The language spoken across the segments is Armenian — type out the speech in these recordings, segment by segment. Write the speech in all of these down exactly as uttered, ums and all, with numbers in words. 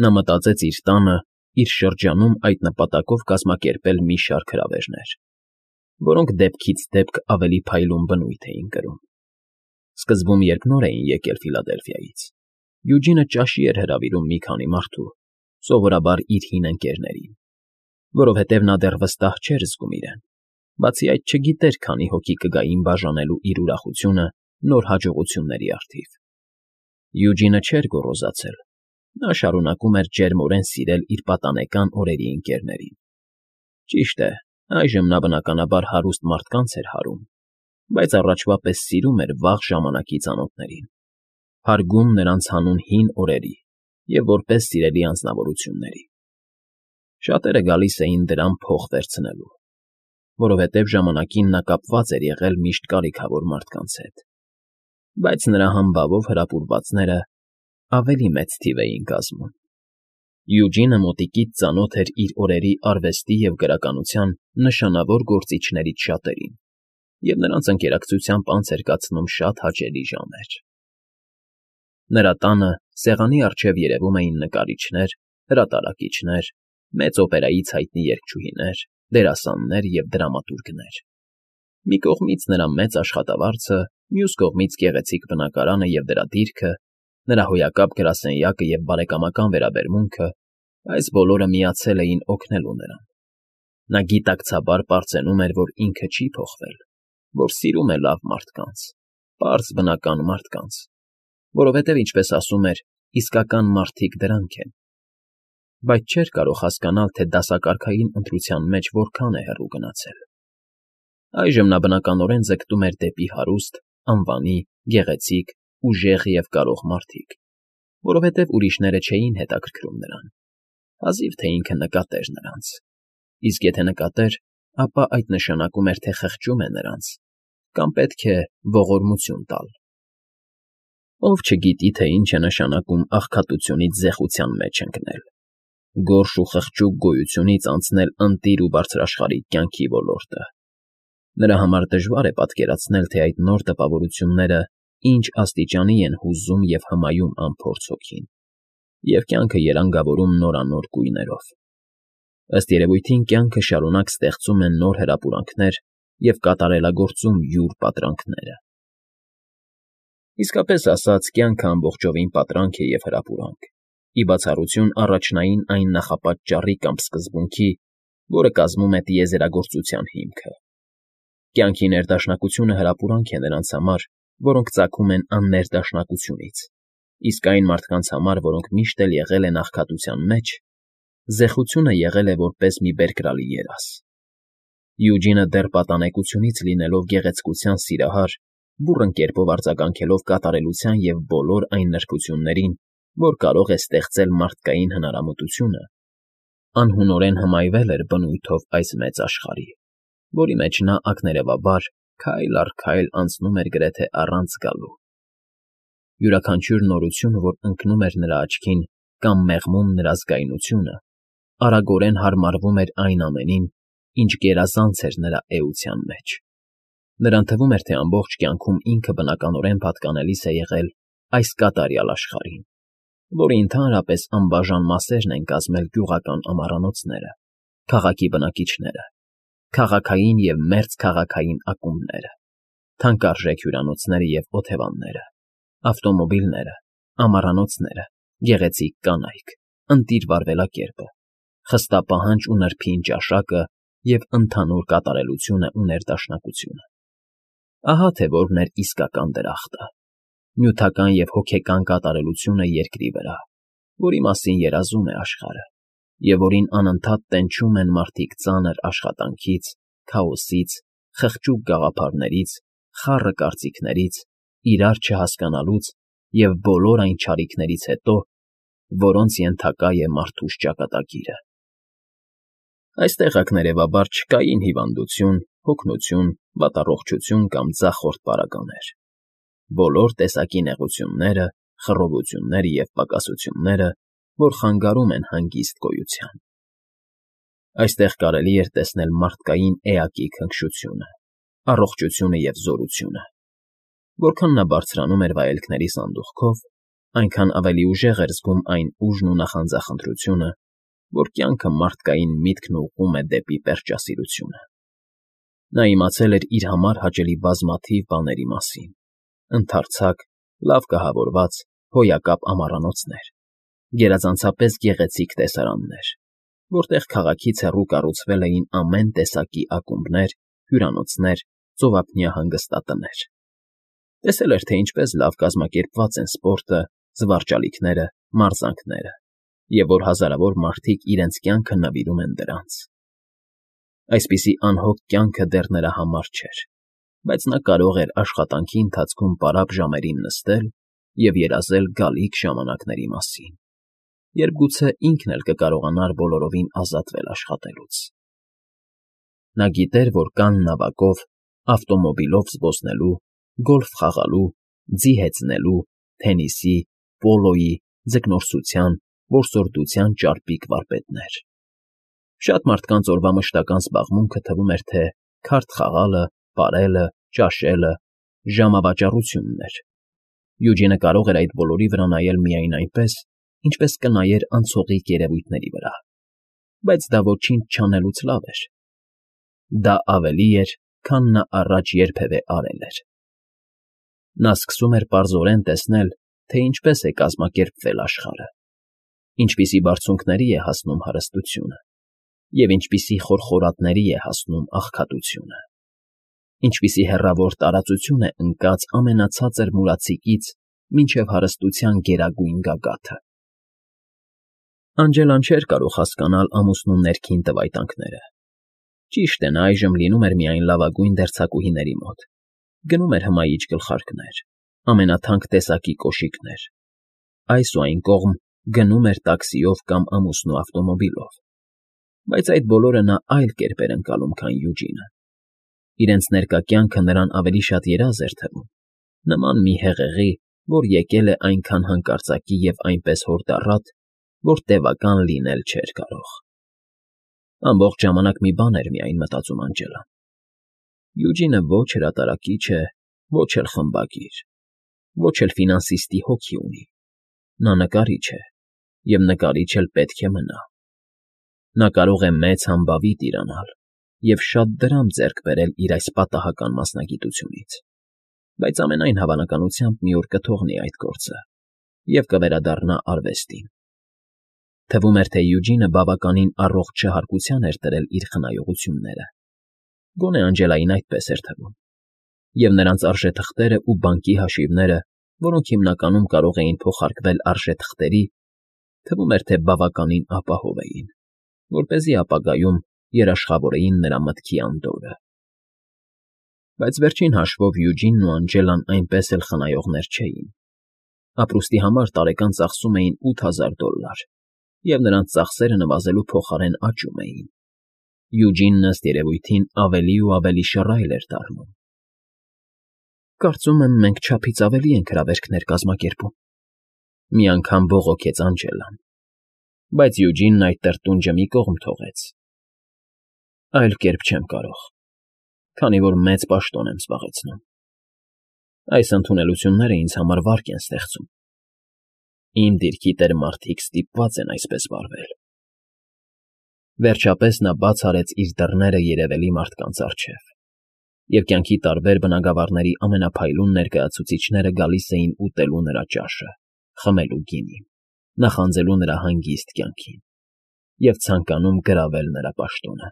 Նա մտածեց իր տանը, իր շրջանում այդ նպատակով կազմակերպել մի շարք հրավերներ, որոնք դեպքից դեպք ավելի փայլուն բնույթ էին կրում։ Սկզբում, երբ նոր էին եկել Ֆիլադելֆիայից, Յուջինը ճաշի էր հրավիրում մի քանի մարդու, սովորաբար իր հին ընկերներին, որովհետև նա դեռ վստահ չէր զգում իրեն, բացի այդ չգիտեր քանի հոգի կգային բաժանելու իր ուրախությունը նոր հաջողությունների առթիվ։ Յուջինը չէր գոռոզացել, նա շարունակում էր ջերմորեն սիրել իր պատանեկան օրերի ընկերներին։ Ճիշտ է, այժմ նա բնականաբար հարուստ մարդկանց էր հարում, բայց առաջվա պես սիրում էր վաղ ժամանակի ծանոթներին, հարգում նրանց հանուն հին օրերի և որպես սիրելի անձնավորությունների։ Շատերը գալիս էին դրան փող վերցնելու, որովհետև ժամանակին նա կապված էր եղել միշտ կարիքավոր մարդկանց հետ, բայց նրա համբավով հրապուրվածները ավելի մեծ թիվ էին կազմում։ Յուջինը մոտիկից ծանոթ էր իր օրերի արվեստի և գրականության նշանավոր գործիչներից շատերին և նրանց ընկերակցությամբ անց էր կացնում շատ հաճելի ժամեր։ Նրա տանը սեղանի առջև երևում էին նկարիչներ, հրատարակիչներ, մեծ օպերայից հայտնի երգչուհիներ, դերասաններ և դրամատուրգներ։ Մի կողմից նրա մեծ աշխատավարձը, մյուս կողմից գեղեցիկ բնակարանը և դրա դիրքը, նրա հոյակապ գրասենյակը և բարեկամական վերաբերմունքը, այս բոլորը միացել էին օգնելու նրան։ Նա գիտակցաբար պարծենում էր, որ ինքը չի փոխվել, որ սիրում է լավ մարդկանց, պարզ բնական մարդկանց, որովհետև, ինչպես ասում էր, իսկական մարդիկ դրանք են, բայց չէր կարող հասկանալ, թե դասակարգային ընտրության մեջ որքան է հեռու գնացել։ Այժմ նա բնականորեն ձգտում էր դեպի հարուստ, անվանի, գեղեցիկ, ուժեղ և կարող մարդիկ, որովհետև ուրիշները չէին հետաքրքրում նրան, հազիվ թե ինքը նկատեր նրանց, իսկ եթե նկատեր, ապա այդ նշանակում էր, թե խղճում է նրանց կամ պետք է ողորմություն տալ։ Ով չգիտի, թե ինչ է նշանակում աղքատությունից զեղության մեջ ընկնել, գորշ ու խղճուկ գոյությունից անցնել ընտիր ու բարձրաշխարհիկ կյանքի ոլորտը։ Նրա համար դժվար է պատկերացնել, թե այդ նոր տպավորությունները ինչ աստիճանի են հուզում և հմայում անփորձ հոգին, և կյանքը երանգավորում նորանոր գույներով։ Ըստ երևույթին կյանքը շարունակ ստեղծում է նոր հրապուրանքներ և կատարելագործում յուր պատրանքները։ Իսկապես ասած, կյանքը ամբողջովին պատրանք է և հրապուրանք, ի բացառություն առաջնային այն նախապատճառի կամ սկզբունքի, որը կազմում է տիեզերագործության հիմքը։ Կյանքի ներդաշնակությունը հրապուրանք է նրանց համար, որոնք ծագում են աններդաշնակությունից, իսկ այն մարդկանց համար, որոնք միշտ էլ եղել են աղքատության մեջ, զեխությունը եղել է որպես մի բերկրալի երազ։ Յուջինը դեռ պատանեկությունից լինելով գեղեցկության սիրահար, բուռն կերպով արձագանքելով կատարելության և բոլոր այն նրբություններին, որ կարող է ստեղծել մարդկային հնարամտությունը, անհունորեն հմայվել էր բնույթով այս մեծ աշխարհի, որի մեջ նա ակներևաբար քայլ առ քայլ անցնում էր գրեթե առանց զգալու։ Յուրաքանչյուր նորություն, որ ընկնում էր նրա աչքին կամ մեղմում նրա զգայունությունը, արագորեն հարմարվում էր այն ամենին, ինչ գերազանց էր նրա էության մեջ։ Նրան թվում էր, թե ամբողջ կյանքում ինքը բնականորեն պատկանելիս է եղել այս կատարյալ աշխարհին, որի ընդհանրապես անբաժան մասերն են կազմել գյուղական ամառանոցները, քաղաքի բնակիչները, քաղաքային և մերձքաղաքային ակումբները, թանկարժեք հյուրանոցները և օթևանները, ավտոմոբիլները, ամառանոցները, գեղեցիկ կանայք, ընտիր վարվելակերպը, խստապահանջ ու նրբին ճաշակը և ընդհանուր կատարելությունը ու ներդաշնակությունը։ Ահա թե որն էր իսկական դրախտը, նյութական և հոգեկան կատարելությունը երկրի վրա, որի մասին երազում է աշխարհը, և որին անընդհատ տենչում են մարդիկ ծանր աշխատանքից, քաոսից, խղճուկ գաղափարներից, խառը կարծիքներից, իրար չհասկանալուց և բոլոր այն չարիքներից հետո, որոնց ենթակա է մարդուս ճակատագիրը։ Այստեղ ակներևաբար չկային հիվանդություն, հոգնություն, վատառողջություն կամ ձախորդ պարագաներ։ Բոլոր տեսակի նեղությունները, խռովությունները և պակասությունները, որ խանգարում են հանգիստ գոյության։ Այստեղ կարելի էր տեսնել մարդկային էակի քնքշությունը, առողջությունը և զորությունը։ Որքան նա բարձրանում էր վայելքների սանդուղքով, այնքան ավելի ուժեղ էր զգում այն ուժն ու նախանձախնդրությունը, որ կյանքը մարդկային միտքն ուղղում է դեպի պերճասիրությունը։ Նա իմացել էր իր համար հաճելի բազմաթիվ բաների մասին. ընդարձակ, լավ կահավորված, հոյակապ ամառանոցներ, գերազանցապես գեղեցիկ տեսարաններ, որտեղ քաղաքից հեռու կառուցվել էին ամեն տեսակի ակումբներ, հյուրանոցներ, ծովափնյա հանգստատներ։ Տեսել էր, թե ինչպես լավ կազմակերպված են սպորտը, զվարճալիքները, մարզանքները, և որ հազարավոր մարդիկ իրենց կյանքը նվիրում են դրանց։ Այսպիսի անհոգ կյանքը դեռ նրա համար չէր, բայց նա կարող էր աշխատանքի ընթացքում պարապ ժամերին նստել և երազել գալիք ժամանակների մասին, երբ գուցե ինքն էլ կկարողանար բոլորովին ազատվել աշխատելուց։ Նա գիտեր, որ կան նավակով, ավտոմոբիլով զբոսնելու, գոլֆ խաղալու, ձի հեծնելու, թենիսի, պոլոյի, ձկնորսության, որսորդության ճարպիկ վարպետներ։ Շատ մարդկանց օրվա մշտական զբաղմունքը թվում էր, թե քարտ խաղալը, պարելը, ճաշելը, ժամավաճառությունն էր։ Յուջինը կարող էր այդ բոլորի վրա նայել միայն այնպես, ինչպես կնայեր անցողիկ երևույթների վրա, բայց դա ոչինչ չանելուց լավ էր։ Դա ավելի էր, քան նա առաջ երբևէ արել էր։ Նա սկսում էր պարզորեն տեսնել, թե ինչպես է կազմակերպվել աշխարհը, ինչպիսի բարձունքների է հասնում հարստությունը և ինչպիսի խորխորատների է հասնում աղքատությունը, ինչպիսի հեռավոր տարածություն է ընկած ամենացածր մուրացիկից մինչև հարստության գերագույն գագաթը։ Անջելան չէր կարող հասկանալ ամուսնու ներքին տվայտանքները։ Ճիշտ է, նա այժմ լինում էր միայն լավագույն դերձակուհիների մոտ, գնում էր հմայիչ գլխարկներ, ամենաթանկ տեսակի կոշիկներ, այս ու այն կողմ գնում էր տաքսիով կամ ամուսնու ավտոմոբիլով, բայց այդ բոլորը նա այլ կերպ էր ընկալում, քան Յուջինը։ Իրենց ներկա կյանքը նրան ավելի շատ երազ էր թվում, նման մի հեղեղի, որ եկել է այնքան հանկարծակի և այնպես հորդառատ, որ տևական լինել չէր կարող։ Ամբողջ ժամանակ մի բան էր միայն մտածում Անջելան. Յուջինը ոչ հրատարակիչ է, ոչ էլ խմբագիր, ոչ էլ ֆինանսիստի հոգի ունի։ Նա նկարիչ է, և նկարիչ էլ պետք է մնա։ Նա կարող է մեծ համբավի տիրանալ և շատ դրամ ձեռք բերել իր այս պատահական մասնագիտությունից, բայց ամենայն հավանականությամբ մի օր կթողնի այդ գործը և կվերադառնա արվեստին։ Թվում էր, թե Յուջինը բավականին առողջ չհարկության էր տրել իր խնայողությունները, գոնե Անջելային այդպես էր թվում, և նրանց արժեթղթերը ու բանկի հաշիվները, որոնք հիմնականում կարող էին փոխարկվել արժեթղթերի, թվում էր, թե բավականին ապահով էին, որպեսզի ապագայում երաշխավորեին նրա մտքի անդորրը։ Բայց վերջին հաշվով Յուջինն ու Անջելան այնպես էլ խնայողներ չէին։ Ապրուստի համար տարեկան ծախսում էին ութ հազար դոլլար, և նրանց ծախսերը նվազելու փոխարեն աճում էին։ Յուջինն, ըստ երևույթին, ավելի ու ավելի շռայլ էր դառնում։ Կարծում եմ, մենք չափից ավելի ենք հրավերքներ կազմակերպում, մի անգամ բողոքեց Անջելան, բայց Յուջինն այդ տրտունջը մի կողմ թողեց։ Այլ կերպ չեմ կարող, քանի որ մեծ պաշտոն եմ զբաղեցնում։ Այս ընդունելությունները ինձ համար վարկ են ստեղծում։ Իմ դիրքի տեր մարդիկ ստիպված են այսպես վարվել։ Վերջապես նա բաց արեց իր դռները երևելի մարդկանց առջև, և կյանքի տարբեր բնագավառների ամենափայլուն ներկայացուցիչները գալիս էին ուտելու նրա ճաշը, խմելու գինին, նախանձելու նրա հանգիստ կյանքին և ցանկանում գրավել նրա պաշտոնը։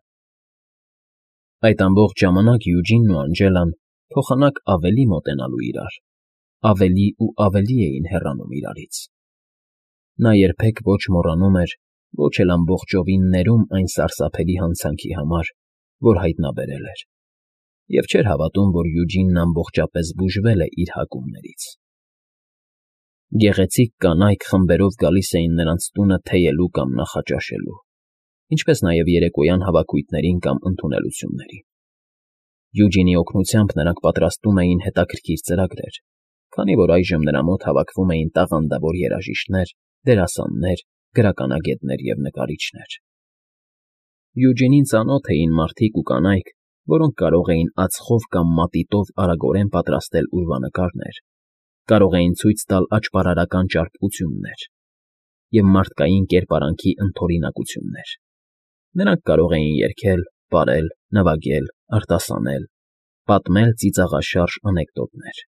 Այդ ամբողջ ժամանակ Յուջինն ու Անջելան փոխանակ ավելի մոտենալու իրար, ավելի ու ավելի էին հեռանում իրարից։ Նա երբեք ոչ մոռանում էր, ոչ էլ ամբողջովին ներում այն սարսափելի հանցանքի համար, որ հայտնաբերել էր, և չէր հավատում, որ Յուջինն ամբողջապես բուժվել է իր հակումներից։ Գեղեցիկ կանայք խմբերով գալիս էին նրանց տունը թեյելու կամ նախաճաշելու, ինչպես նաև երեկոյան հավաքույթներին կամ ընդունելություններին։ Յուջինի օգնությամբ նրանք պատրաստում էին հետաքրքիր ծրագրեր, քանի որ այժմ նրա մոտ հավաքվում էին տաղանդավոր երաժիշտներ, դերասաններ, գրականագետներ և նկարիչներ։ Յուջինին ծանոթ էին մարդիկ ու կանայք, որոնք կարող էին ածխով կամ մատիտով արագորեն պատրաստել ուրվանկարներ, կարող էին ցույց տալ աճպարարական ճարպկություններ և մարդկային կերպարանքի ընդօրինակություններ. նրանք կարող էին երգել, պարել, նվագել, արտասանել, պատմել ծիծաղաշարժ անեկդոտներ։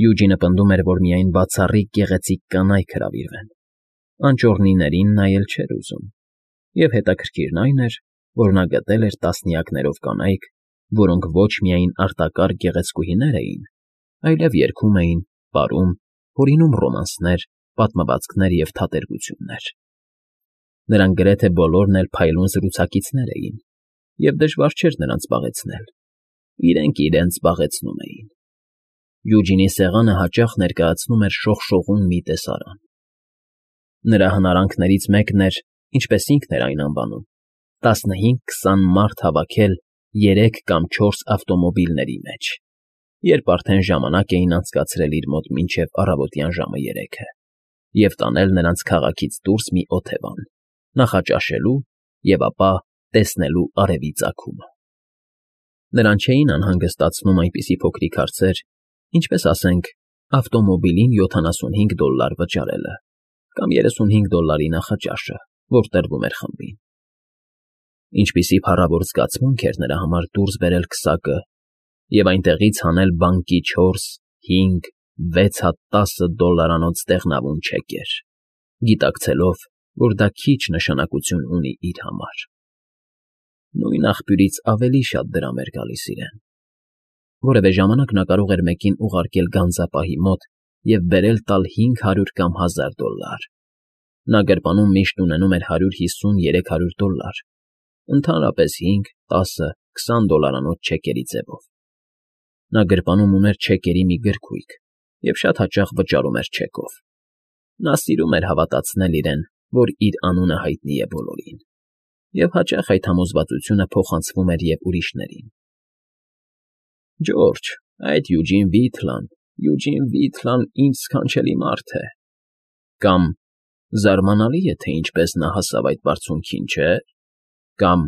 Յուջինը պնդում էր, որ միայն բացառիկ գեղեցիկ կանայք հրավիրվեն, անճոռնիներին նայել չէր ուզում, և հետաքրքիրն այն էր, որ նա գտել էր տասնյակներով կանայք, որոնք ոչ միայն արտակարգ գեղեցկուհիներ էին, այլև երգում էին, պարում, հորինում ռոմանսներ, պատմվածքներ և թատերգություններ։ Նրանք գրեթե բոլորն էլ փայլուն զրուցակիցներ էին, և դժվար չէր նրանց զբաղեցնել, իրենք իրենց զբաղեցնում էին։ Յուջինի սեղանը հաճախ ներկայացնում էր շողշողուն մի տեսարան։ Նրա հնարանքներից մեկն էր, ինչպես ինքն էր այն անվանում, տասնհինգ֊քսան մարդ հավաքել երեք կամ չորս ավտոմոբիլների մեջ, երբ արդեն ժամանակ էին անցկացրել իր մոտ մինչև առավոտյան ժամը երեքը, և տանել նրանց քաղաքից դուրս մի օթևան, նախաճաշելու և ապա տեսնելու արևի ծագումը։ Նրան չէին անհանգստացնում այնպիսի փոքրիկ հարցեր, ինչպես, ասենք, ավտոմոբիլին յոթանասունհինգ դոլլար վճարելը կամ երեսունհինգ դոլլարի նախաճաշը, որ տրվում էր խմբին։ Ինչպիսի փառավոր զգացմունք էր նրա համար դուրս բերել քսակը և այնտեղից հանել բանկի չորս, հինգ, վեց հատ տասը դոլլարանոց դեղնավուն չեկեր, գիտակցելով, որ դա քիչ նշանակություն ունի իր համար։ Նույն աղբյուրից ավելի շատ դրամ էր գալիս իրեն։ Որևէ ժամանակ նա կարող էր մեկին ուղարկել գանձապահի մոտ և բերել տալ հինգ հարյուր կամ հազար դոլլար։ Նա գրպանում միշտ ունենում էր հարյուր հիսուն երեք հարյուր դոլլար, ընդհանրապես հինգ, տասը, քսան դոլլարանոց չեկերի ձևով։ Նա գրպանում ուներ չեկերի մի գրքույկ և շատ հաճախ վճարում էր չեկով։ Նա սիրում էր հավատացնել իրեն, որ իր անունը հայտնի է բոլորին, և հաճախ այդ համոզվածությունը փոխանցվում էր և ուրիշներին։ «Ջորջ, այդ Յուջին Վիթլան, Յուջին Վիթլան ինձ սքանչելի մարդ է», կամ «Զարմանալի է, թե ինչպես նա հասավ այդ բարձունքին, չէ՞», կամ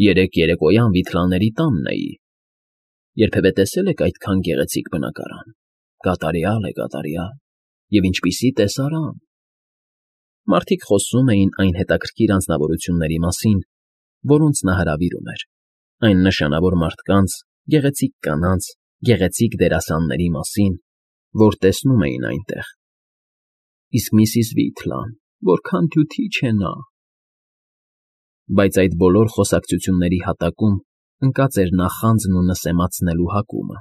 «Երեկ երեկոյան Վիթլանների տանն էի. երբևէ տեսե՞լ եք այդքան գեղեցիկ բնակարան, կատարյալ է, կատարյալ, և ինչպիսի տեսարան»։ Մարդիկ խոսում էին այն հետաքրքիր անձնավորությունների մասին, որոնց նա հրավիրում էր, այն նշանավոր մարդկանց, գեղեցիկ կանանց, գեղեցիկ դերասանների մասին, որ տեսնում էին այնտեղ։ Իսկ միսիս Վիթլան, որքան դյութիչ է նա… Բայց այդ բոլոր խոսակցությունների հատակում ընկած էր նախանձն ու նսեմացնելու հակումը,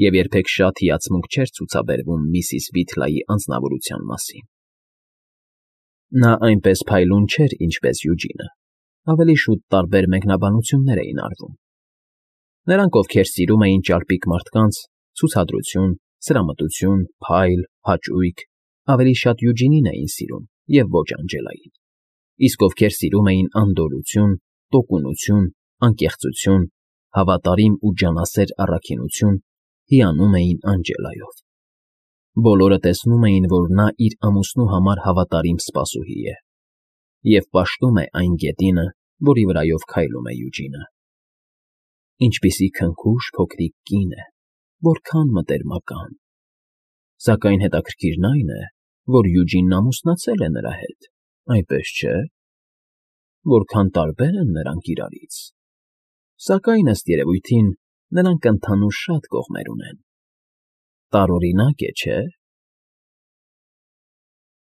և երբեք շատ հիացմունք չէր ցուցաբերվում միսիս Վիթլայի անձնավորության մասին։ Նա այնպես փայլուն չէր, ինչպես Յուջինը, ավելի շուտ տարբեր մեկնաբանություններ էին արվում։ Նրանք, ովքեր սիրում էին ճարպիկ մարդկանց, ցուցադրություն, սրամտություն, փայլ, հաճույք, ավելի շատ Յուջինին էին սիրում և ոչ Անջելային, իսկ ովքեր սիրում էին անդորրություն, տոկունություն, անկեղծություն, հավատարիմ ու ջանասեր առաքինություն, հիանում էին Անջելայով։ Բոլորը տեսնում էին, որ նա իր ամուսնու համար հավատարիմ սպասուհի է և պաշտում է այն գետինը, որի վրայով քայլում է Յուջինը։ Ինչպիսի քնքուշ փոքրիկ կին է, որքան մտերմական… Սակայն հետաքրքիրն այն է, որ Յուջինն ամուսնացել է նրա հետ, այնպես չէ՞։ Որքան տարբեր են նրանք իրարից… Սակայն, ըստ երևույթին, նրանք ընդհանուր շատ կողմեր ունեն։ Տարօրինակ է, չէ՞։